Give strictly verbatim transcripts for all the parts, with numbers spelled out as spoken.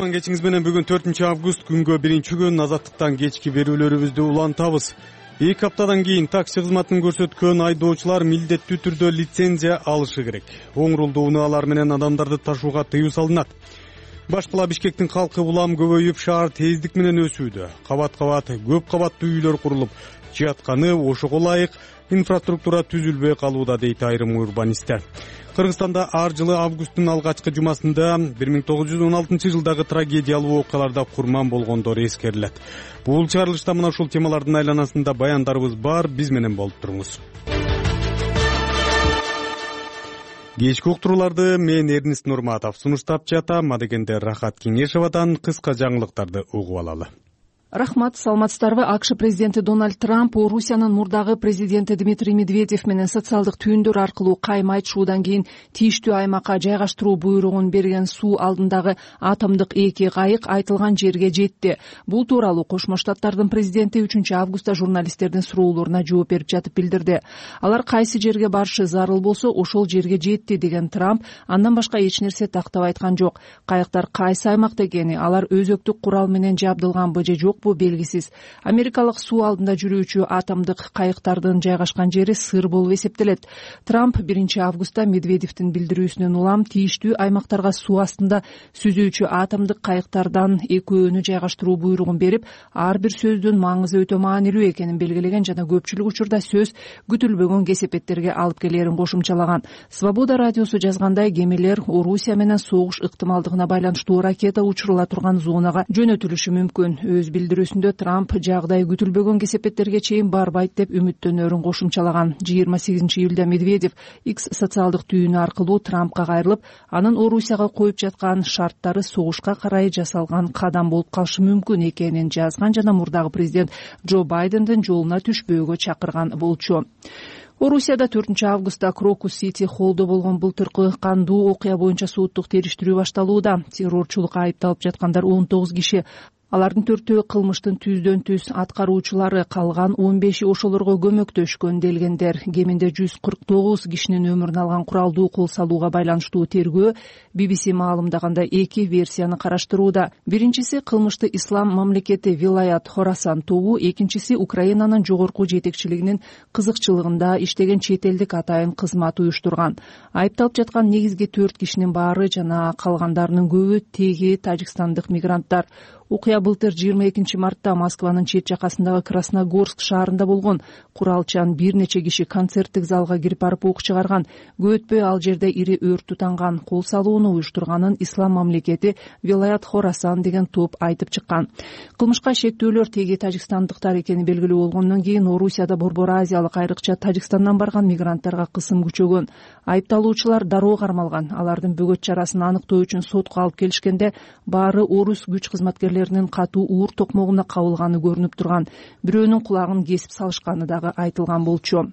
кутман кечиңиз менен. Бүгүн төртүнчү август күнгө биринчи күн. Азаттыктан кечки берүүлөрүбүздү улантабыз. Эки аптадан кийин такси кызматын көрсөткөн айдоочулар милдеттүү түрдө лицензия алышы керек. Оң рулдуу унаалар менен адамдарды ташууга тыюу салынат. Баш кала Бишкектин калкы улам көбөйүп, шаар тездик менен өсүүдө. Кабат-кабат көп кабаттуу үйлөр курулуп жатканы ошого ылайык инфраструктура түзүлбөй калууда, дейт айрым урбанисттер. Кыргызстанда ар жылы августтун алгачкы жумасында бир миң тогуз жүз он алтынчы жылдагы трагедиялуу окуяларда курман болгондор эскерилет. Бул чыгарылышта мына ушул темалардын айланасында баяндарыбыз бар. Биз менен болуп туруңуз. Кечки уктурууларды мен Эрнист Нурматов сунуштап жатам. Адегенде Рахат Кеңешовадан кыска жаңылыктарды угуп алалы. Рахмат, саламатсыздарбы? АКШ президенти Дональд Трамп Орусиянын мурдагы президенти Дмитрий Медведев менен социалдык түйүндөр аркылуу кайма айтышуудан кийин тийиштүү аймакка жайгаштыруу буйругун берген суу алдындагы атомдук эки кайык айтылган жерге жетти. Бул тууралуу Кошмо Штаттардын президенти үчүнчү августта журналисттердин суроолоруна жооп берип жатып билдирди. Алар кайсы жерге барышы зарыл болсо ошол жерге жетти деген Трамп андан башка эч нерсе тактап айткан жок. Кайыктар кайсы аймакта экени, алар өзөктүк курал менен жабдылганбы же жок белгисиз. Америкалык суу алдында жүрүүчү атомдук кайыктардын жайгашкан жери сыр болуп эсептелет. Трамп биринчи августта Медведевдин билдирүүсүнөн улам тийиштүү аймактарга суу астында сүзүүчү атомдук кайыктардан экөөнү жайгаштыруу буйругун берип, ар бир сөздүн маңызы өтө маанилүү экенин белгилеген жана көпчүлүк учурда сөз күтүлбөгөн кесепеттерге алып келерин кошумчалаган. Свобода радиосу жазгандай, кемелер Орусия менен согуш ыктымалдыгына байланыштуу ракета учурула турган зонага жөнөтүлүшү мүмкүн. Өз билдирүүсүндө Трамп жагдай күтүлбөгөн кесепеттерге чейин барбайт деп үмүттөнөрүн кошумчалаган. жыйырма сегизинчи июлда Медведев X социалдык түйүнү аркылуу Трампка кайрылып, анын Орусияга коюп жаткан шарттары согушка карай жасалган кадам болуп калышы мүмкүн экенин жазган жана мурдагы президент Джо Байдендин жолуна түшпөөгө чакырган болчу. Орусияда төртүнчү августта Крокус Сити холлдо болгон былтыркы кандуу окуя боюнча соттук териштирүү башталууда. Террорчулукка айыпталып жаткандар он тогуз киши. Алардын төртөө кылмыштын түздөн түз аткаруучулары, калган он беши ошолорго көмөктөшкөн делгендер. Кеминде жүз кырк тогуз кишинин өмүрүн алган куралдуу кол салууга байланыштуу тергөө би би си маалымдагандай эки версияны караштырууда. Биринчиси кылмышты ислам мамлекети Вилаят Хорасан тобу, экинчиси Украинанын жогорку жетекчилигинин кызыкчылыгында иштеген чет элдик атайын кызмат уюштурган. Айыпталып жаткан негизги төрт кишинин баары жана калгандарынын көбү теги тажикстандык мигранттар. Окуя былтыр жыйырма экинчи мартта Москванын чет жакасындагы Красногорск шаарында болгон. Куралчан бир нече киши концерттик залга кирип барып ок чыгарган. Көп өтпөй ал жерде ири өрт тутанган. Кол салууну уюштурганын ислам мамлекети Вилаят Хорасан деген топ айтып чыккан. Кылмышка шектүүлөр теги тажикстандыктар экени белгилүү болгондон кийин Орусияда борбор азиялык, айрыкча Тажикстандан барган мигранттарга кысым күчөгөн. Айыпталуучулар дароо кармалган. Алардын бөгөт чарасын аныктоо үчүн сотко алып келишкенде баары орус күч кызматкерлеринин катуу уур токмогуна кабылганы көрүнүп турган. Бирөөнүн кулагын кесип салышканы дагы айтылган болчу.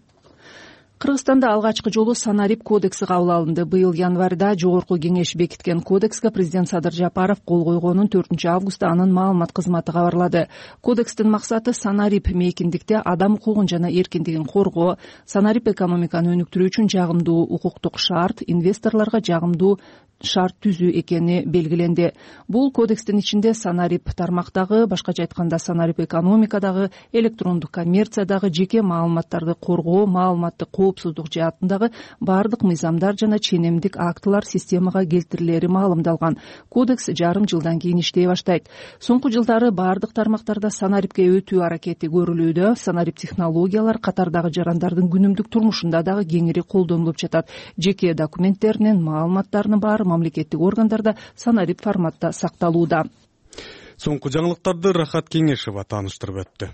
Кыргызстанда алгачкы жолу Санарип кодекси кабыл алынды. Быйыл январда жогорку кеңеш бекиткен кодекске президент Садыр Жапаров кол койгонун төртүнчү августта анын маалымат кызматы кабарлады. Кодекстин максаты Санарип мейкиндикте адам укугун жана эркиндигин коргоо, Санарип экономиканы өнүктүрүү үчүн жагымдуу укуктук шарт, инвесторлорго жагымдуу шарт түзүү экени белгиленди. Бул кодекстин ичинде Санарип тармактагы, башкача айтканда Санарип экономикадагы, электрондук коммерциядагы жеке маалыматтарды коргоо, маалыматтык коопсуздук жаатындагы бардык мыйзамдар жана ченемдик актылар системага келтирилери маалымдалган. Кодекс жарым жылдан кийин иштей баштайт. Соңку жылдары бардык тармактарда Санарипке өтүү аракети көрүлүүдө. Санарип технологиялар катардагы жарандардын күнүмдүк турмушунда дагы кеңири колдонулуп жатат. Жеке документтеринин, маалыматтарынын баары мамлекеттик органдарда Санарип форматта сакталууда. Соңку жаңылыктарды Рахат Кеңешова тааныштырып өттү.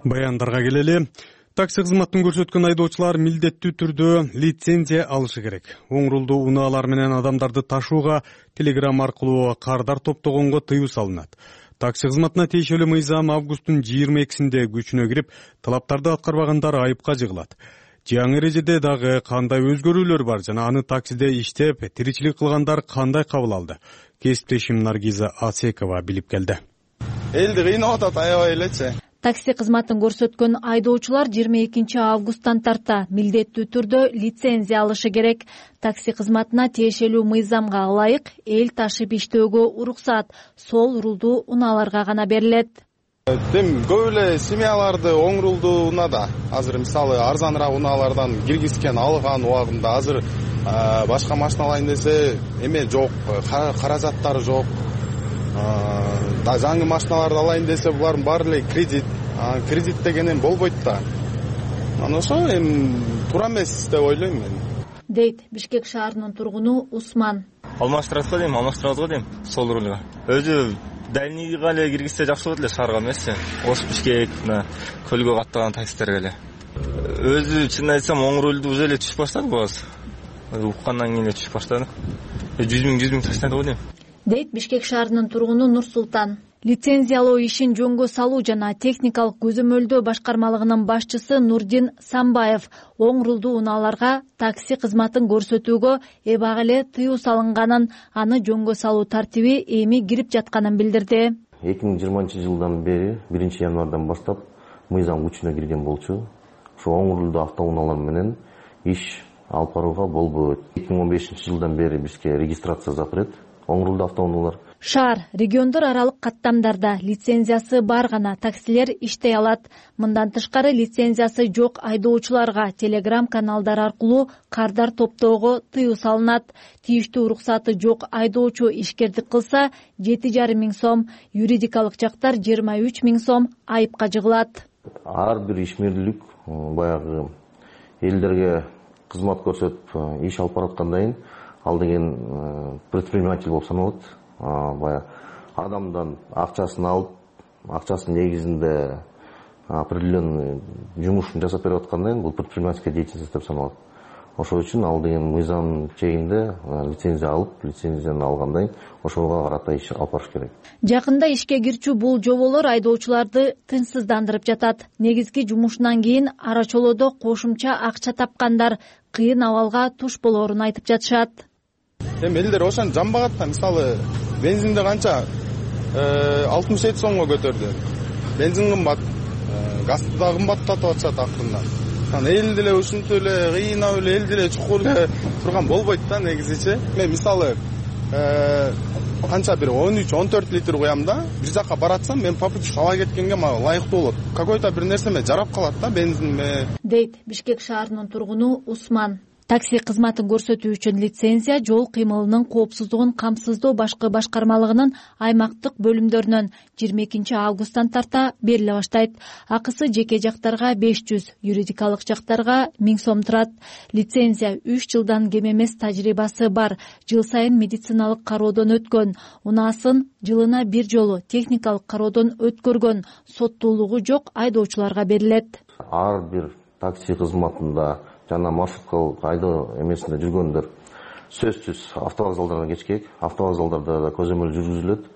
Баяндарга келели. Такси кызматын көрсөткөн айдоочулар милдеттүү түрдө лицензия алышы керек. Оң рулдуу унаалар менен адамдарды ташууга телеграмма аркылуу кардар топтогонго тыюу салынат. Такси кызматына тиешелүү мыйзам августтун жыйырма экисинде күчүнө кирип, талаптарды аткарбагандар айыпка жыгылат. Жаңы эрежеде дагы кандай өзгөрүүлөр бар жана аны таксиде иштеп, тиричилик кылгандар кандай кабыл алды? Кесиптешим Наргиза Асекова билип келди. Элди кыйнап атат аябай элечи. Такси кызматын көрсөткөн айдоочулар жыйырма экинчи августтан тарта милдеттүү түрдө лицензия алышы керек. Такси кызматына тиешелүү мыйзамга ылайык эл ташып иштөөгө уруксаат сол рулдуу унааларга гана берилет. Тем көп эле семьяларды оң рулдуу унаада азыр мисалы арзаныраак унаалардан киргизген алган убагында азыр башка машина алайын десе эме жок, каражаттары жок. Да жаңы машиналарды алайын десе булардын баары эле кредит. Кредит деген эми болбойт да. Анан ошо эми туура эмес деп ойлойм мен. Дейт Бишкек шаарынын тургуну Усман. Алмаштырат го дейм, алмаштырабыз го дейм сол рулга. Өзү дальныйга эле киргизсе жакшы болот эле, шаарга эмеси. Ош Бишкек мына көлгө каттаган таксистерге эле. Өзү чын айтсам оң рулду уже эле түшүп баштады бул азыр. Уккандан кийин эле түшүп баштады. жүз миң жүз миң таштады го дейм. Дейт Бишкек шаарынын тургуну Нурсултан. Лицензиялоо ишин жөнгө салуу жана техникалык көзөмөлдөө башкармалыгынын башчысы Нурдин Самбаев оң рулдуу унааларга такси кызматын көрсөтүүгө эбак эле тыюу салынганын, аны жөнгө салуу тартиби эми кирип жатканын билдирди. эки миң жыйырманчы жылдан бери биринчи январдан баштап мыйзам күчүнө кирген болчу. Ошо оң рулдуу автоунаалар менен иш алып барууга болбойт. эки миң он бешинчи жылдан бери бизге регистрация запрет оң рулдуу автоунаалар. Шаар, региондор аралык каттамдарда лицензиясы бар гана таксилер иштей алат. Мындан тышкары лицензиясы жок айдоочуларга телеграм каналдар аркылуу кардар топтоого тыюу салынат. Тийиштүү уруксаты жок айдоочу ишкердик кылса жети жарым миң сом, юридикалык жактар жыйырма үч миң сом айыпка жыгылат. Ар бир ишмерлик баягы элдерге кызмат көрсөтүп иш алып бараткандан кийин ал деген предприниматель болуп саналат. Баягы адамдан акчасын алып, акчасынын негизинде определенный жумушун жасап берип аткандан кийин бул предпринимательская деятельность деп саналат. Ошол үчүн ал деген мыйзам чегинде лицензия алып, лицензияны алгандан кийин ошого карата иш алып барыш керек. Жакында ишке кирчү бул жоболор айдоочуларды тынчсыздандырып жатат. Негизги жумушунан кийин арачолоодо кошумча акча тапкандар кыйын абалга туш болоорун айтып жатышат. Эми элдер ошону жамбагат да, мисалы бензинди канча алтымыш жети сомго көтөрдү. Бензин кымбат, газды да кымбаттатып атышат акырында. Анан эл деле ушинтип эле кыйнап эле эл деле чукул эле турган болбойт да негизичи. Мен мисалы канча бир он үч он төрт литр куям да, бир жака баратсам мен попутчик ала кеткенге мага ылайыктуу болот. Какой-то бир нерсеме жарап калат да бензинме. Дейт Бишкек шаарынын тургуну Усман. Такси кызматын көрсөтүү үчүн лицензия жол кыймылынын коопсуздугун камсыздоо башкы башкармалыгынын аймактык бөлүмдөрүнөн жыйырма экинчи августтан тарта бериле баштайт. Акысы жеке жактарга беш жүз, юридикалык жактарга миң сом турат. Лицензия үч жылдан кем эмес тажрыйбасы бар, жыл сайын медициналык кароодон өткөн, унаасын жылына бир жолу техникалык кароодон өткөргөн, соттуулугу жок айдоочуларга берилет. Ар бир такси кызматында жана маршруткалык айдоо эмесинде жүргөндөр сөзсүз автовокзалдардан кечкек, автовокзалдарда да көзөмөл жүргүзүлөт,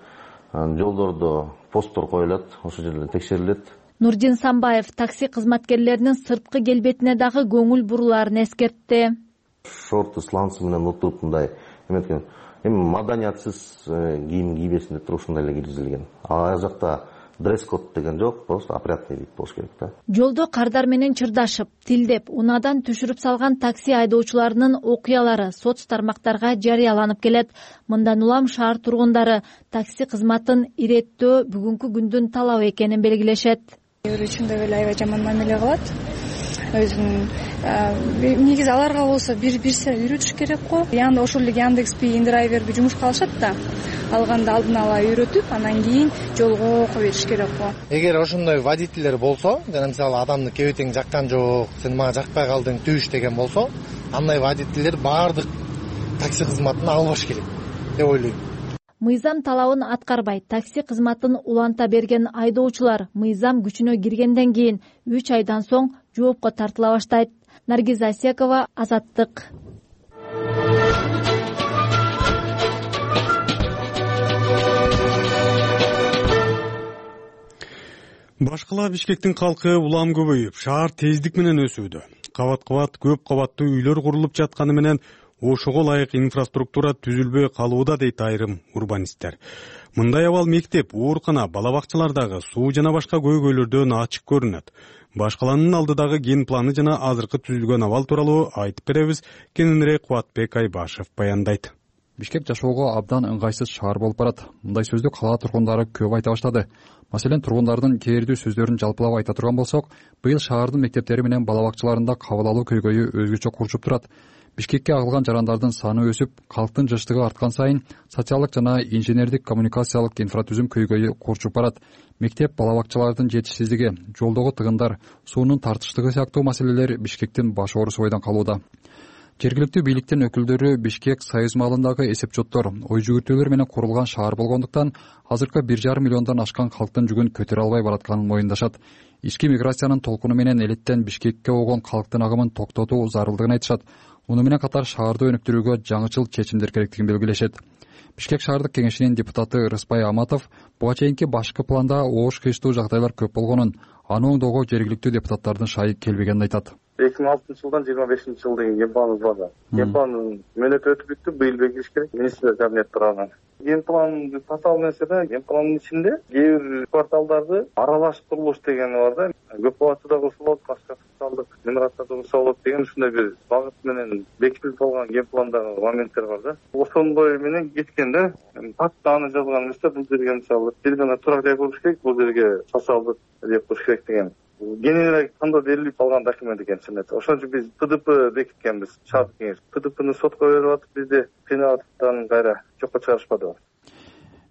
жолдордо посттор коюлат, ошол жерден текшерилет. Нурдин Самбаев такси кызматкерлеринин сырткы келбетине дагы көңүл бурулаарын эскертти. Шорты сланцы менен отуруп мындай эметкен, эми маданиятсыз кийим кийбесин деп туруп ушундай эле киргизилген. Ал жакта дресс-код деген жок, просто опрятный вид болуш керек да. Жолдо кардар менен чырдашып, тилдеп, унаадан түшүрүп салган такси айдоочуларынын окуялары соц тармактарга жарыяланып келет. Мындан улам шаар тургундары такси кызматын иреттөө бүгүнкү күндүн талабы экенин белгилешет. Өрүчүндө эле аябай жаман мамиле кылат. Өзүнүн негизи аларга болсо бир бирсе үйрөтүш керек го. Янда ошол эле Яндекс.Би, Индрайверби жумушка алышат да. Алганда алдын ала үйрөтүп, анан кийин жолго кое бериш керек го. Эгер ошондой водительдер болсо, жана мисалы адамды кебетең жаккан жок, сен мага жакпай калдың, түш деген болсо, андай водительдер баардык такси кызматын албаш керек деп ойлойм. Мыйзам талабын аткарбай такси кызматын уланта берген айдоочулар мыйзам күчүнө киргенден кийин үч айдан соң жоопко тартыла баштайт. Наргиза Асекова, Азаттык. Башкала Бишкектин калкы улам көбөйүп, шаар тездик менен өсүүдө. Кабат-кабат көп кабаттуу үйлөр курулуп жатканы менен ошого ылайык инфраструктура түзүлбөй калууда, дейт айрым урбанисттер. Мындай абал мектеп, оорукана, бала бакчалардагы суу жана башка көйгөйлөрдөн ачык көрүнөт. Баш калаанын алдыдагы ген планы жана азыркы түзүлгөн абал тууралуу айтып беребиз. Кененирээк Кубатбек Айбашев баяндайт. Бишкек жашоого абдан ыңгайсыз шаар болуп барат. Мындай сөздү кала тургундары көп айта баштады. Маселен, тургундардын кээрдүү сөздөрүн жалпылап айта турган болсок, быйыл шаардын мектептери менен бала бакчаларында кабыл алуу көйгөйү өзгөчө курчуп турат. Бишкекке агылган жарандардын саны өсүп, калктын жыштыгы арткан сайын социалдык жана инженердик коммуникациялык инфратүзүм көйгөйү курчуп барат. Мектеп, бала бакчалардын жетишсиздиги, жолдогу тыгындар, суунун тартыштыгы сыяктуу маселелер Бишкектин баш оорусу бойдон калууда. Жергиликтүү бийликтин өкүлдөрү Бишкек союз маалындагы эсепчоттор, ой жүгүртүүлөр менен курулган шаар болгондуктан азыркы бир жарым миллиондон ашкан калктын жүгүн көтөрө албай баратканын моюндашат. Ички миграциянын толкуну менен элеттен Бишкекке огон калктын агымын токтотуу зарылдыгын айтышат. Муну менен катар шаарды өнүктүрүүгө жаңычыл чечимдер керектигин белгилешет. Бишкек шаардык кеңешинин депутаты Рыспай Аматов буга чейинки башкы планда оош кыйштуу жагдайлар көп болгонун, аны оңдоого жергиликтүү депутаттардын шайы келбегенин айтат. эки миң алтынчы жылдан жыйырма бешинчи жыл деген ген планыбыз бар. Ген пландын мөөнөтү өтүп бүттү, быйыл бекитилиш керек. Министрлер кабинети тарабынан. Ген планды tasаввур нерсе да, ген пландын ичинде кээ бир кварталдарды аралаш курулуш деген бар да. Көп кабатты да курса болот, башка социалдык миграцияда курса болот деген ушундай бир багыт менен бекитилип алган ген пландагы моменттер бар да. Ошондой менен кеткенде патта аны жазган нерсе бул жерге мисалы бир гана турак жай курулуш керек, бул жерге социалдык жер курулуш керек деген. Генералдык кандоо берилип алган документ экен чынында. Ошон үчүн биз ПДП бекиткенбиз, шаардык кеңеш. ПДПны сотко берип атып, бизде кыйналаттан кайра жокко чыгарышпады.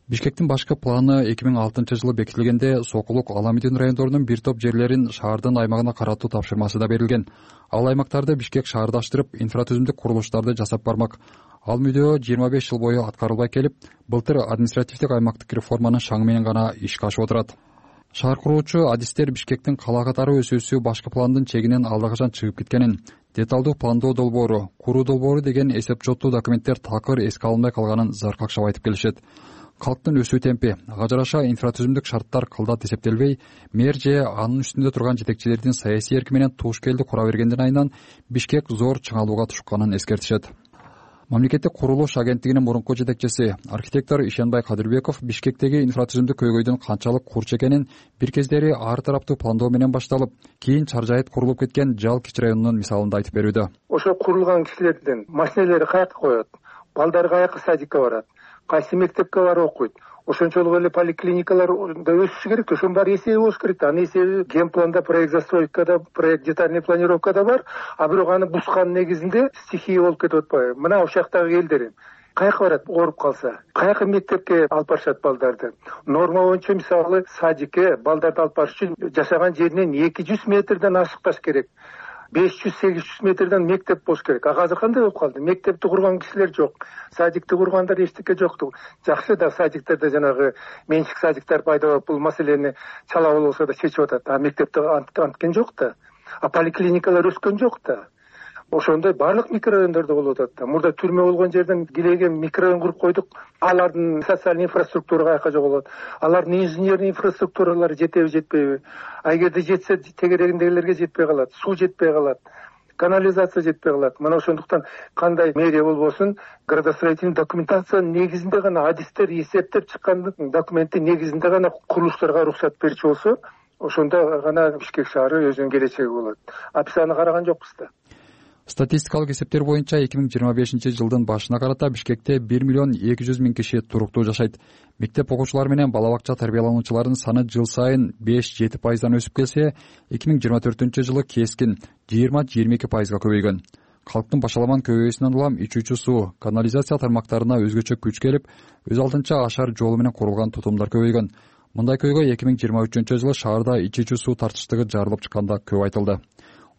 Бишкектин башкы планы эки миң алтынчы жылы бекитилгенде Сокулук, Аламидин райондорунун бир топ жерлерин шаардын аймагына каратуу тапшырмасы да берилген. Ал аймактарды Бишкек шаардаштырып, инфратүзүмдүк курулуштарды жасап бармак. Ал мүдөө жыйырма беш жыл бою аткарылбай келип, былтыр административдик аймактык реформанын шаңы менен гана ишке ашып отурат. Шаар куруучу адистер Бишкектин кала катары өсүүсү башкы пландын чегинен алдакачан чыгып кеткенин, деталдуу пландоо долбоору, куруу долбоору деген эсепчоттуу документтер такыр эске алынбай калганын заркакшап айтып келишет. Калктын өсүү темпи, ага жараша инфратүзүмдүк шарттар кылдат эсептелбей, мэр же анын үстүндө турган жетекчилердин саясий эрки менен туш келди кура бергенден айынан Бишкек зор чыңалууга түшкөнүн эскертишет. Мамлекеттик курулуш агенттигинин мурунку жетекчиси, архитектор Ишенбай Кадырбеков Бишкектеги инфратүзүмдүк көйгөйдүн канчалык курч экенин бир кездери ар тараптуу пландоо менен башталып, кийин чаржайыт курулуп кеткен Жал Кич районунун мисалында айтып берүүдө. Ошо курулган кишилердин машиналери каяка коет, балдары каяка садикке барат, кайсы мектепке барып окуйт. Ошончолук эле поликлиникаларда өсүшү керек, ошонун баары эсеби болуш керек. Анын эсеби ген планда, проект застройкада, проект детальный планировкада бар, а бирок аны бускан негизинде стихия болуп кетип атпайбы? Мына ошол жактагы элдер каяка барат, ооруп калса, каяка мектепке алып барышат балдарды. Норма боюнча мисалы садикке балдарды алып барыш үчүн жашаган жеринен эки жүз метрден ашыкпаш керек. беш жүз сегиз жүз метрден мектеп болуш керек. А азыр кандай болуп калды? Мектепти курган кишилер жок. Садикти кургандар эчтеке жокту. Жакшы да садиктерде жанагы менчик садиктер пайда болуп, бул маселени чала болсо да чечип атат. А мектепте анткен жок да. А поликлиникалар өскөн жок да. Ошондой барлык микрорайондордо болуп атат да. Мурда түрмө болгон жерден килеге микрорайон куруп койдук. Алардын социалдык инфраструктура каяка жоголот. Алардын инженерный инфраструктуралары жетеби, жетпейби? А эгерде жетсе, тегерегиндегилерге жетпей калат, суу жетпей калат, канализация жетпей калат. Мына ошондуктан кандай мэрия болбосун, градостроительный документациянын негизинде гана адистер эсептеп чыккан документтин негизинде гана курулуштарга уруксат берчү болсо, ошондо гана Бишкек шаары өзүнүн келечеги болот. А биз аны караган жокпуз да. Статистикалык эсептер боюнча эки миң жыйырма бешинчи жылдын башына карата Бишкекте бир миллион эки жүз миң киши туруктуу жашайт. Мектеп окуучулары менен бала бакча тарбиялануучулардын саны жыл сайын беш жети пайыздан өсүп келсе, эки миң жыйырма төртүнчү жылы кескин жыйырма жыйырма эки пайызга көбөйгөн. Калктын башаламан көбөйүүсүнөн улам ичүүчү суу, канализация тармактарына өзгөчө күч келип, өз алдынча ашар жолу менен курулган тутумдар көбөйгөн. Мындай көйгөй эки миң жыйырма үчүнчү жылы шаарда ичүүчү суу тартыштыгы жарылып чыкканда көп айтылды.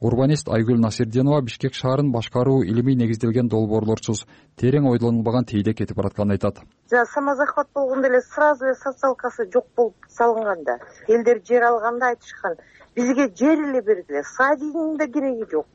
Урбанист Айгүл Насирденова Бишкек шаарын башкаруу илимий негизделген долбоорлорсуз, терең ойлонулбаган тийде кетип баратканын айтат. Жа самозахват болгондо эле сразу эле социалкасы жок болуп салынганда, элдер жер алганда айтышкан, бизге жер эле бергиле, садигинин да кереги жок.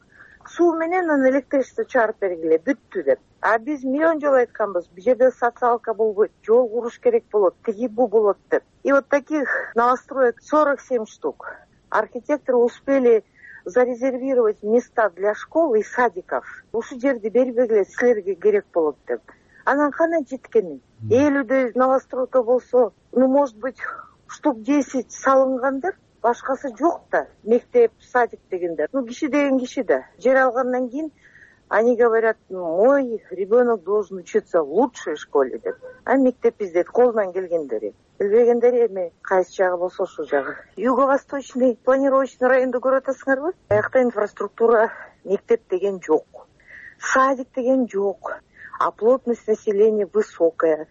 Суу менен анан электричество чыгарып бергиле, бүттү деп. А биз миллион жолу айтканбыз, бул жерде социалка болбойт, жол куруш керек болот, тиги бу болот деп. И вот таких новостроек сорок семь штук. Архитекторы успели зарезервировать места для школ и садиков. Ушул жерди бербегиле, силерге керек болот деп. Анан кана жеткени? Элүүдөй новостроодо болсо, ну, может быть, штук десять салынгандыр, башкасы жок да. Мектеп, садик дегендер. Ну, киши деген киши да. Жер алгандан кийин они говорят: мой ребенок должен учиться в лучшей школе деп. А мектеп издейт колунан келгендери. Билбегендери эми кайсы жагы болсо ошол жагы. Юго-восточный планировочный районду көрүп атасыңарбы? Аякта инфраструктура, мектеп деген жок. Садик деген жок. А плотность населения высокая.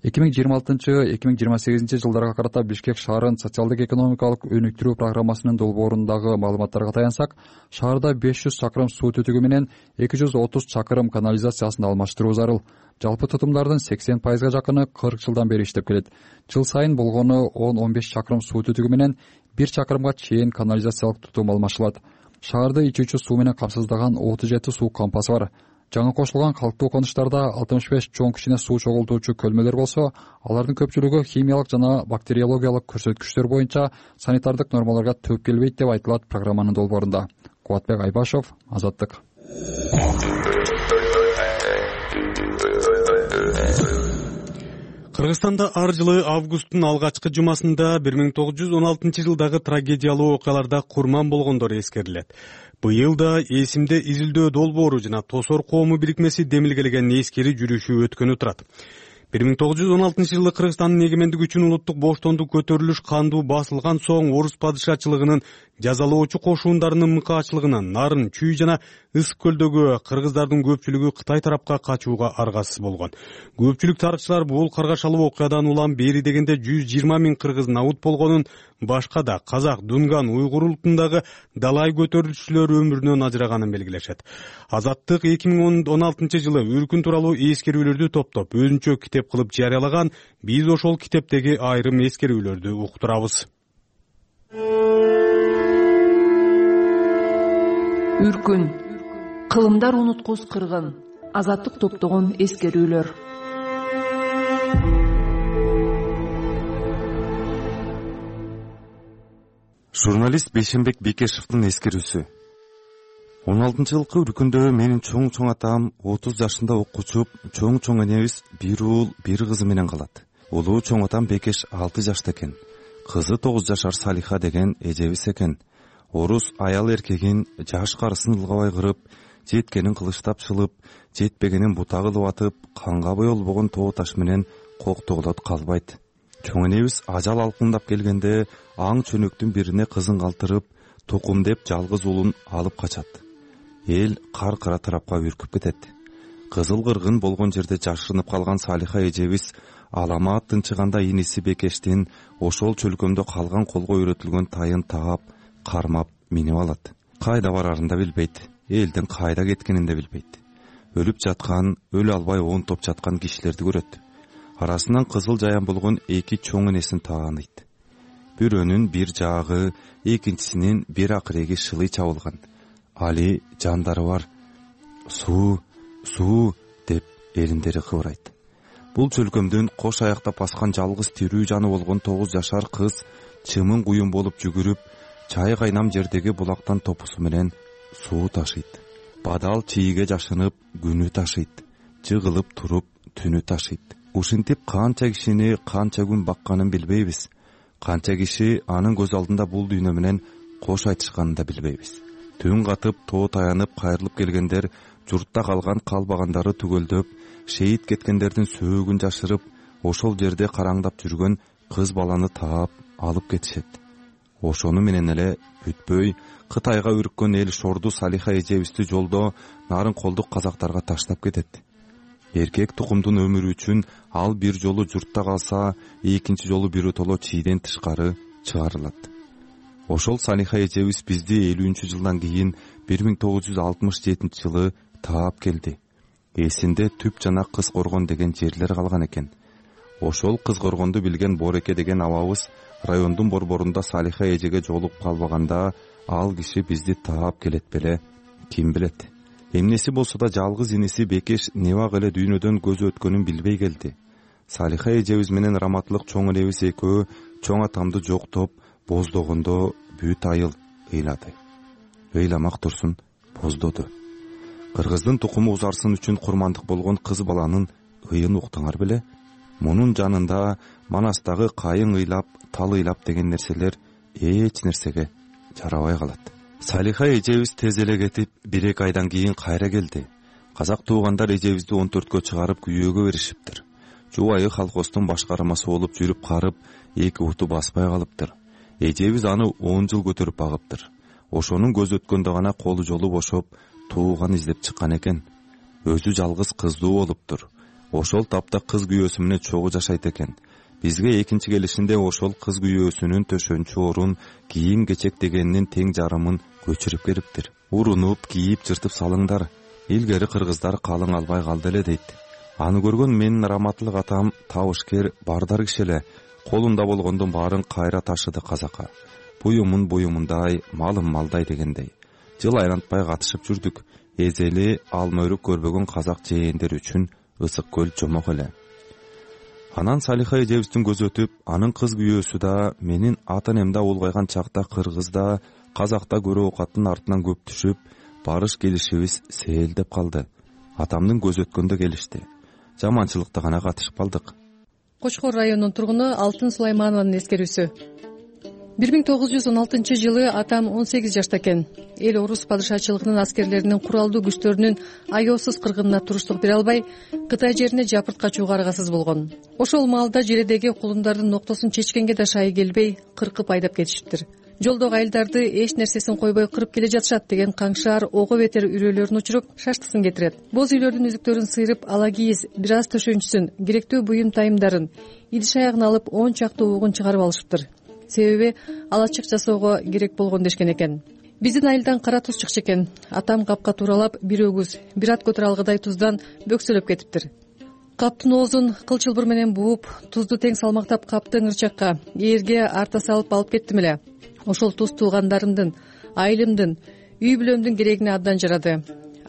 эки миң жыйырма алтынчы эки миң жыйырма сегизинчи жылдарга карата Бишкек шаарын социалдык экономикалык өнүктүрүү программасынын долбоорундагы маалыматтарга таянсак, шаарда беш жүз чакырым суу түтүгү менен эки жүз отуз чакырым канализациясын алмаштыруу зарыл. Жалпы тутумдардын сексен пайызга жакыны кырк жылдан бери иштеп келет. Жыл сайын болгону он он беш чакырым суу түтүгү менен бир чакырымга чейин канализациялык тутум алмашылат. Шаарды ичүүчү суу менен камсыздаган отуз жети суу кампасы бар. Жаңы кошулган калктуу конуштарда алтымыш беш чоң кичине суу чогултуучу көлмөлөр болсо, алардын көпчүлүгү химиялык жана бактериологиялык көрсөткүчтөр боюнча санитардык нормаларга төп келбейт деп айтылат программанын долбоорунда. Кубатбек Айбашов, Азаттык. Кыргызстанда ар жылы августтун алгачкы жумасында бир миң тогуз жүз он алтынчы жылдагы трагедиялуу окуяларда курман болгондор эскерилет. Быйыл да эсимде изилдөө долбоору жана Тосор коому бирикмеси демилгелеген эскери жүрүшү өткөнү турат. бир миң тогуз жүз он алтынчы жылы Кыргызстандын эгемендиги үчүн улуттук боштондук көтөрүлүш кандуу басылган соң орус падышачылыгынын жазалоочу кошуундарынын мыкаачылыгынан Нарын, Чүй жана Ысык көлдөгү кыргыздардын көпчүлүгү Кытай тарапка качууга аргасыз болгон. Көпчүлүк тарыхчылар бул каргашалуу окуядан улам бери дегенде жүз жыйырма миң кыргыз набут болгонун, башка да казак, дунган, уйгур улутундагы далай көтөрүлүшчүлөр өмүрүнөн ажыраганын белгилешет. Азаттык эки миң он алтынчы жылы өлкүн тууралуу эскерүүлөрдү топтоп өзүнчө китеп кылып жарыялаган. Биз ошол китептеги айрым эскерүүлөрдү уктурабыз. Үркүн, кылымдар унуткус кыргын, Азаттык топтогон эскерүүлөр. Журналист Бейшенбек Бекешевдин эскерүүсү. он алтынчы жылкы үркүндө менин чоң-чоң атам отуз жашында окуучу чоң-чоң энебиз бир уул, бир кызы менен калат. Улуу чоң атам Бекеш алты жашта экен. Кызы тогуз жашар Салиха деген эжебиз экен. Орус аял эркегин жаш карысын ылгабай кырып, жеткенин кылычтап чылып, жетпегенин бута кылып атып, канга боелбогон тоо таш менен коктогулот калбайт. Чоң энебиз ажал алкындап келгенде аң чөнөктүн бирине кызын калтырып, тукум деп жалгыз уулун алып качат. Эл кар-кара тарапка үркүп кетет. Кызыл кыргын болгон жерде жашырынып калган Салиха эжебиз аламаат тынчыганда иниси Бекештин ошол чөлкөмдө калган колго үйрөтүлгөн тайын таап, кармап минип алат. Кайда барарын да билбейт, элдин кайда кеткенин да билбейт. Өлүп жаткан, өлө албай онтоп жаткан кишилерди көрөт. Арасынан кызыл жаян болгон эки чоң энесин тааныйт. Бирөөнүн бир жаагы, экинчисинин бир акыреги шылый чабылган. Али жандары бар. Суу, суу деп элиндери кыбырайт. Бул чөлкөмдүн кош аяктап баскан жалгыз тирүү жаны болгон тогуз жашар кыз чымын куюн болуп жүгүрүп, чай кайнам жердеги булактан топусу менен суу ташыйт. Бадал чийиге жашынып күнү ташыйт. Жыгылып туруп түнү ташыйт. Ушинтип канча кишини канча күн бакканын билбейбиз. Канча киши анын көз алдында бул дүйнө менен кош айтышканын да билбейбиз. Түн катып тоо таянып кайрылып келгендер журтта калган калбагандары түгөлдөп, шейит кеткендердин сөөгүн жашырып, ошол жерде караңдап жүргөн кыз баланы таап алып кетишет. Ошону менен эле бүтпөй Кытайга үрккөн эл шорду Салиха эжебизди жолдо нарын колдук казактарга таштап кетет. Эркек тукумдун өмүрү үчүн ал бир жолу журтта калса, экинчи жолу биротоло чийден тышкары чыгарылат. Ошол Салиха эжебиз бизди элүүнчү жылдан кийин бир миң тогуз жүз алтымыш жетинчи жылы таап келди. Эсинде Түп жана Кыз Коргон деген жерлер калган экен. Ошол Кыз Коргонду билген Бореке деген абабыз райондун борборунда Салиха эжеге жолугуп калбаганда, ал киши бизди таап келет беле, ким билет. Эмнеси болсо да жалгыз иниси Бекеш небак эле дүйнөдөн көзү өткөнүн билбей келди. Салиха эжебиз менен раматтылык чоң энебиз экөө чоң атамды жоктоп, боздогондо бүт айыл ыйлады. ыйламак турсун боздоду. Кыргыздын тукуму узарсын үчүн курмандык болгон кыз баланын ыйын уктуңар беле? Мунун жанында Манастагы кайың ыйлап, тал ыйлап деген нерселер эч нерсеге жарабай калат. Салиха эжебиз тез эле кетип, бир эки айдан кийин кайра келди. Казак туугандар эжебизди он төрткө чыгарып күйөөгө беришиптир. Жубайы колхоздун башкармасы болуп жүрүп карып, эки уту баспай калыптыр. Эжебиз аны он жыл көтөрүп багыптыр. Ошонун көз өткөндө гана колу жолу бошоп, тууган издеп чыккан экен. Өзү жалгыз кыздуу болуптур. Ошол тапта кыз күйөөсү менен чогуу жашайт экен. Бизге экинчи келишинде ошол кыз күйөөсүнүн төшөнчү орун, кийим кечек дегенинин тең жарымын көчүрүп бериптир. Урунуп, кийип, жыртып салыңдар. Илгери кыргыздар калың албай калды эле дейт. Аны көргөн менин раматтылык атам табышкер, бардар киши эле. Колунда болгондун баарын кайра ташыды казакка. Буюмун буюмундай, малым малдай дегендей. Жыл айлантпай катышып жүрдүк. Эзели алма өрүк көрбөгөн казак жээндер үчүн ысык көл жомок эле. Анан Салиха эжебиздин көзү өтүп, анын кыз күйөөсү да, менин ата-энемде улгайган чакта кыргызда, казакта көрө оокаттын артынан көп түшүп, барыш келишибиз сээлдеп калды. Атамдын көзү өткөндө келишти. Жаманчылыкта гана катышып калдык. Кочкор районунун тургуну Алтын Сулайманованын эскерүүсү. бир миң тогуз жүз он алтынчы жылы атам он сегиз жашта экен. Эл орус падышачылыгынын аскерлеринин куралдуу күчтөрүнүн аеосуз кыргынына туруштук бере албай, Кытай жерине жапырт качууга аргасыз болгон. Ошол маалда желедеги кулундардын ноктосун чечкенге да шайы келбей, кыркып айдап кетишиптир. Жолдогу айылдарды эч нерсесин койбой кырып келе жатышат деген каңшаар ого бетер үрөөлөрүн учуруп, шаштысын кетирет. Боз үйлөрдүн үзүктөрүн сыйрып, ала кийиз, бир аз төшөнчүсүн, керектүү буюм тайымдарын, идиш аягын алып, он чактуу угун чыгарып алышыптыр. Себеби алачык жасоого керек болгон дешкен экен. Биздин айылдан кара туз чыкчу экен. Атам капка тууралап, бир өгүз, бир ат көтөрө алгыдай туздан бөксөлөп кетиптир. Каптын оозун кыл чылбыр менен бууп, тузду тең салмактап капты ыңырчакка, ээрге арта салып алып кеттим эле. Ошол туз туугандарымдын, айылымдын, үй бүлөмдүн керегине абдан жарады.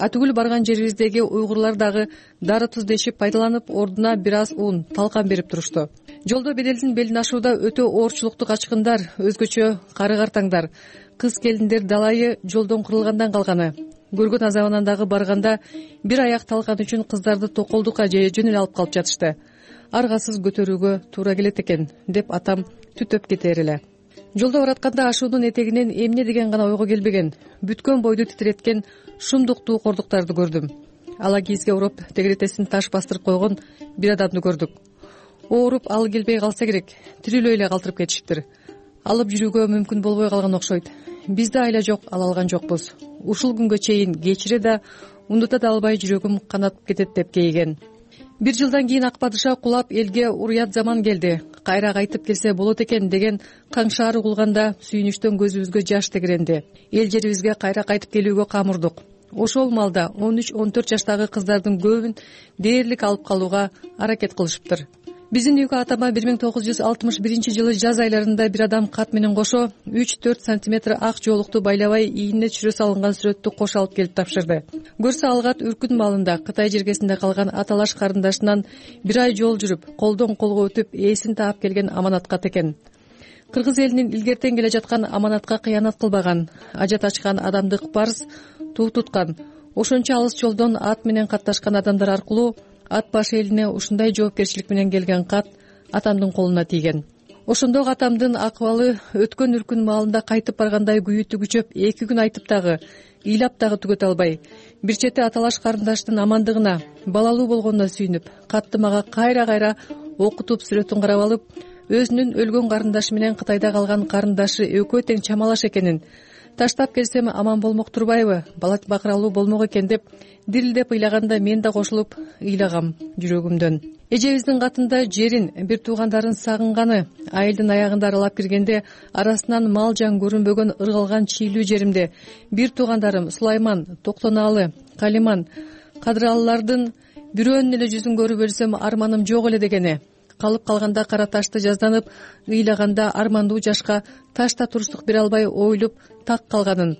Атүгүл барган жерибиздеги уйгурлар дагы дары туз дешип пайдаланып, ордуна бир аз ун, талкан берип турушту. Жолдо беделдин белин ашууда өтө оорчулукту качкындар, өзгөчө кары картаңдар, кыз келиндер далайы жолдон кырылгандан калганы. Көргөн азабынан дагы барганда бир аяк талкан үчүн кыздарды токолдукка же жөн эле алып калып жатышты. Аргасыз көтөрүүгө туура келет экен, деп атам түтөп кетер эле. Жолдо баратканда ашуунун этегинен эмне деген гана ойго келбеген, бүткөн бойду титиреткен шумдуктуу кордуктарды көрдүм. Ала кийизге уруп, тегеретесин таш бастырып койгон бир адамды көрдүк. Ооруп алы келбей калса керек, тирүүлөй эле калтырып кетишиптир. Алып жүрүүгө мүмкүн болбой калган окшойт. Бизде айла жок, ала алган жокпуз. Ушул күнгө чейин кечире да, унута да албай жүрөгүм канатып кетет деп кейиген. Бир жылдан кийин ак падыша кулап элге уруят заман келди. Кайра кайтып келсе болот экен деген каңшаар угулганда сүйүнүчтөн көзүбүзгө жаш тегеренди. Эл жерибизге кайра кайтып келүүгө камурдук. Ошол маалда он үч он төрт жаштагы кыздардын көбүн дээрлик алып калууга аракет кылышыптыр. Биздин үйгө атама бир миң тогуз жүз алтымыш биринчи жылы жаз айларында бир адам кат менен кошо үч төрт сантиметр ак жоолукту байлабай ийине түшүрө салынган сүрөттү кош алып келип тапшырды. Көрсө алгат үркүн маалында Кытай жергесинде калган аталаш карындашынан бир ай жол жүрүп, колдон колго өтүп, ээсин таап келген аманаткат экен. Кыргыз элинин илгертен келе жаткан аманатка кыянат кылбаган, ажат ачкан адамдык парыз туу туткан. Ошончо алыс жолдон ат менен катташкан адамдар аркылуу ат баш элине ушундай жоопкерчилик менен келген кат атамдын колуна тийген. Ошондо атамдын акыбалы өткөн үркүн маалында кайтып баргандай күйү түгүчөп, эки күн айтып дагы, ыйлап дагы түгөтө албай, бир чети аталаш карындаштын амандыгына, балалуу болгонуна сүйүнүп, катты мага кайра-кайра окутуп, сүрөтүн карап алып, өзүнүн өлгөн карындашы менен Кытайда калган карындашы экөө тең чамалаш экенин, таштап келсем аман болмок турбайбы, бала бакыралуу болмок экен деп дирилдеп ыйлаганда мен да кошулуп ыйлагам жүрөгүмдөн. Эжебиздин катында жерин, бир туугандарын сагынганы, айылдын аягында аралап киргенде арасынан мал жан көрүнбөгөн ыргалган чийлүү жеримде бир туугандарым Сулайман, Токтонаалы, Калиман, Кадыралылардын бирөөнүн эле жүзүн көрүп өлсөм арманым жок эле дегени. Калып калганда кара ташты жазданып, ыйлаганда армандуу жашка ташта туруштук бере албай ойлоп так калганын,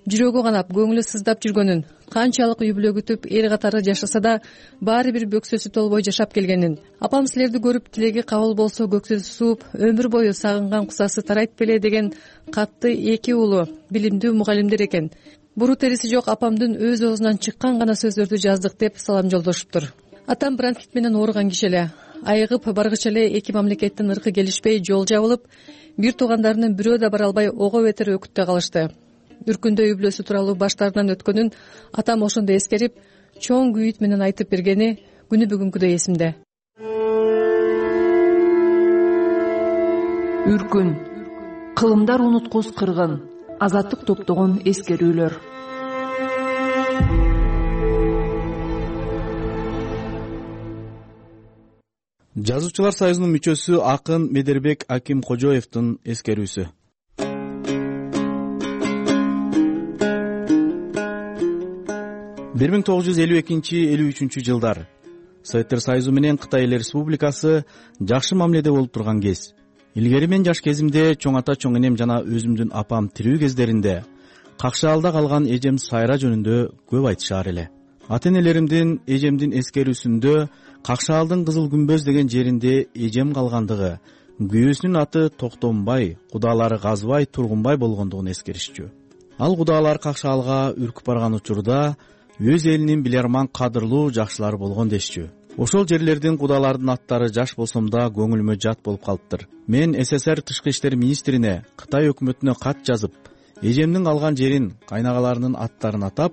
жүрөгү канап көңүлү сыздап жүргөнүн, канчалык үй бүлө күтүп эл катары жашаса да баары бир бөксөсү толбой жашап келгенин, апам силерди көрүп тилеги кабыл болсо көксөсү сууп өмүр бою сагынган кусасы тарайт беле деген катты эки уулу билимдүү мугалимдер экен. Буру териси жок апамдын өз оозунан чыккан гана сөздөрдү жаздык деп салам жолдошуптур. Атам бронхит менен ооруган киши эле. Айыгып баргыча эле эки мамлекеттин ыркы келишпей жол жабылып, бир туугандарынын бирөө да бара албай ого бетер өкүттө калышты. Үркүндө үй бүлөсү тууралуу баштарынан өткөнүн атам ошондо эскерип, чоң күйүт менен айтып бергени күнү бүгүнкүдөй эсимде. Үркүн, кылымдар унуткус кыргын, азаттык топтогон эскерүүлөр. Жазуучулар союзунун мүчөсү акын Медербек Акимкожоевдун эскерүүсү. бир миң тогуз жүз элүү экинчи элүү үчүнчү жылдар Советтер Союзу менен Кытай Эл Республикасы жакшы мамиледе болуп турган кез. Илгери мен жаш кезимде чоң ата чоң энем жана өзүмдүн апам тирүү кездеринде Какшаалда калган эжем Сайра жөнүндө көп айтышаар эле. Ата энелеримдин эжемдин эскерүүсүндө Какшаалдын Кызыл Күмбөз деген жеринде эжем калгандыгы, күйөөсүнүн аты Токтомбай, кудалары Казбай, Тургунбай болгондугун эскеришчү. Ал кудалар Какшаалга үркүп барган учурда өз элинин биларман кадырлуу жакшылары болгон дешчү. Ошол жерлердин кудалардын аттары жаш болсом да көңүлүмө жат болуп калыптыр. Мен СССР Тышкы иштер министрине, Кытай өкмөтүнө кат жазып, эжемдин калган жерин, кайнагаларынын аттарын атап,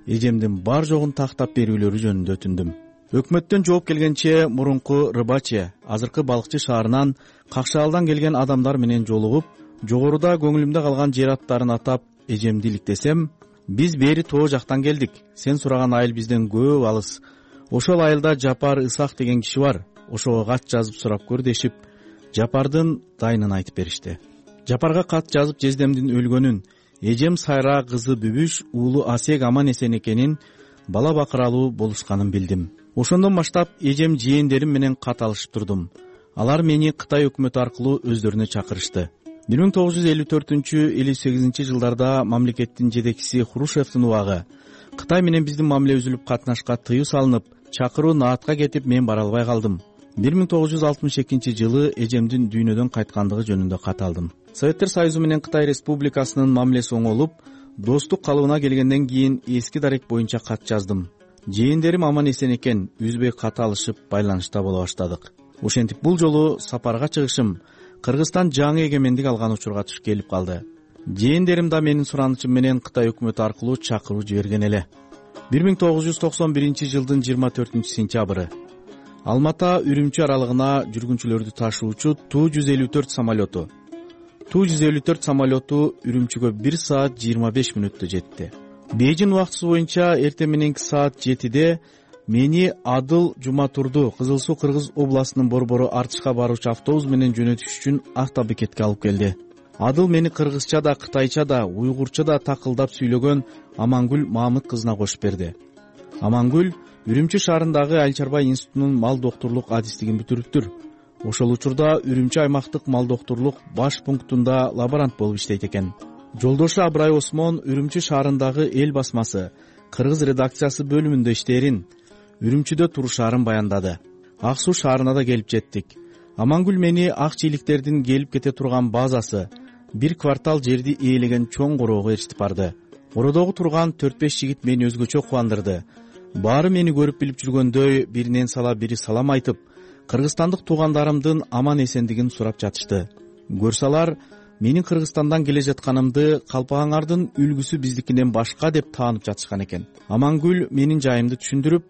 эжемдин бар жогун тактап берүүлөрү жөнүндө өтүндүм. Өкмөттөн жооп келгенче мурунку Рыбаче, азыркы Балыкчы шаарынан Какшаалдан келген адамдар менен жолугуп, жогоруда көңүлүмдө калган жер аттарын атап эжемди иликтесем, биз бери тоо жактан келдик. Сен сураган айыл бизден көп алыс. Ошол айылда Жапар Исак деген киши бар. Ошого кат жазып сурап көр дешип, Жапардын дайынын айтып беришти. Жапарга кат жазып жездемдин өлгөнүн, эжем Сайра кызы Бүбүш, уулу Асек аман эсен экенин, бала бакыралуу болушканын билдим. Ошондон баштап эжем жээндерим менен кат алышып турдум. Алар мени Кытай өкмөтү аркылуу өздөрүнө чакырышты. бир миң тогуз жүз элүү төртүнчү элүү сегизинчи жылдарда мамлекеттин жетекчиси Хрущевдин убагы Кытай менен биздин мамиле үзүлүп катнашка тыюу салынып, чакыруу наатка кетип мен бара албай калдым. бир миң тогуз жүз алтымыш экинчи жылы эжемдин дүйнөдөн кайткандыгы жөнүндө кат алдым. Советтер Союзу менен Кытай Республикасынын мамилеси оңолуп, достук калыбына келгенден кийин эски дарек боюнча кат жаздым. Жээндерим аман эсен экен, үзбөй кат алышып байланышта боло баштадык. Ошентип бул жолу сапарга чыгышым Кыргызстан жаңы эгемендик алган учурга туш келип калды. Жээндерим да менин суранычым менен Кытай өкмөтү аркылуу чакыруу жиберген эле. бир миң тогуз жүз токсон биринчи жылдын жыйырма төртүнчү сентябры Алмата Үрүмчү аралыгына жүргүнчүлөрдү ташуучу Ту жүз элүү төрт самолету. Ту жүз элүү төрт самолету Үрүмчүгө бир саат жыйырма беш мүнөттө жетти. Бейжин убактысы боюнча эртең мененки саат жетиде мени Адыл Жуматурду Кызыл Суу Кыргыз областынын борбору Артышка баруучу автобус менен жөнөтүш үчүн автобекетке алып келди. Адыл мени кыргызча да, кытайча да, уйгурча да такылдап сүйлөгөн Амангүл Мамыт кызына кошуп берди. Амангүл Үрүмчү шаарындагы Айыл чарба институтунун мал доктурлук адистигин бүтүрүптүр. Ошол учурда Үрүмчү аймактык мал доктурлук баш пунктунда лаборант болуп иштейт экен. Жолдошу Абрай Осмон Үрүмчү шаарындагы Эл басмасы Кыргыз редакциясы бөлүмүндө иштээрин, Үрүмчүдө турушаарын баяндады. Ак Суу шаарына да келип жеттик. Амангүл мени ак чийликтердин келип кете турган базасы, бир квартал жерди ээлеген чоң короого ээрчитип барды. Кородогу турган төрт беш жигит мени өзгөчө кубандырды. Баары мени көрүп билип жүргөндөй биринен сала бири салам айтып, кыргызстандык туугандарымдын аман эсендигин сурап жатышты. Көрсалар менин Кыргызстандан келе жатканымды калпагаңардын үлгүсү биздикинен башка деп таанып жатышкан экен. Амангүл менин жайымды түшүндүрүп,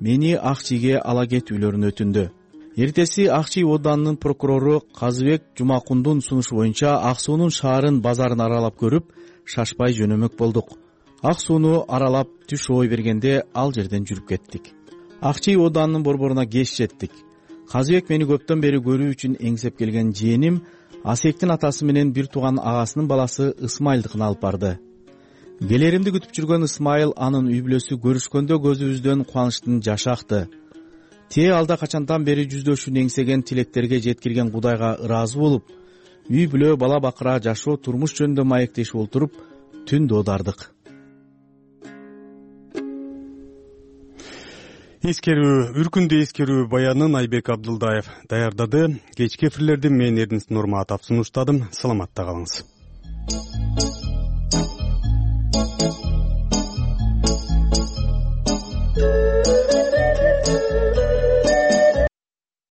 мени Ак Чийге ала кетүүлөрүн өтүндү. Эртеси Ак Чий оданынын прокурору Казыбек Жумакундун сунушу боюнча Ак Суунун шаарын, базарын аралап көрүп, шашпай жөнөмөк болдук. Ак Сууну аралап түш ой бергенде ал жерден жүрүп кеттик. Ак Чий оданынын борборуна кеч жеттик. Казыбек мени көптөн бери көрүү үчүн эңсеп келген жээним Асектин атасы менен бир тууган агасынын баласы Ысмайылдыкына алып барды. Келеримди күтүп жүргөн Ысмайыл анын үй бүлөсү көрүшкөндө көзүбүздөн кубанычтын жашы акты. Тээ алда качандан бери жүздөшүн эңсеген тилектерге жеткирген Кудайга ыраазы болуп, үй бүлө, бала бакыра, жашоо, турмуш жөнүндө маектешип олтуруп, түн доодардык. эскерүү үркүндүү эскерүү баянын Айбек Абдылдаев даярдады. Кечки эфирлерди мен Эрдинис Нурматов сунуштадым. Саламатта калыңыз.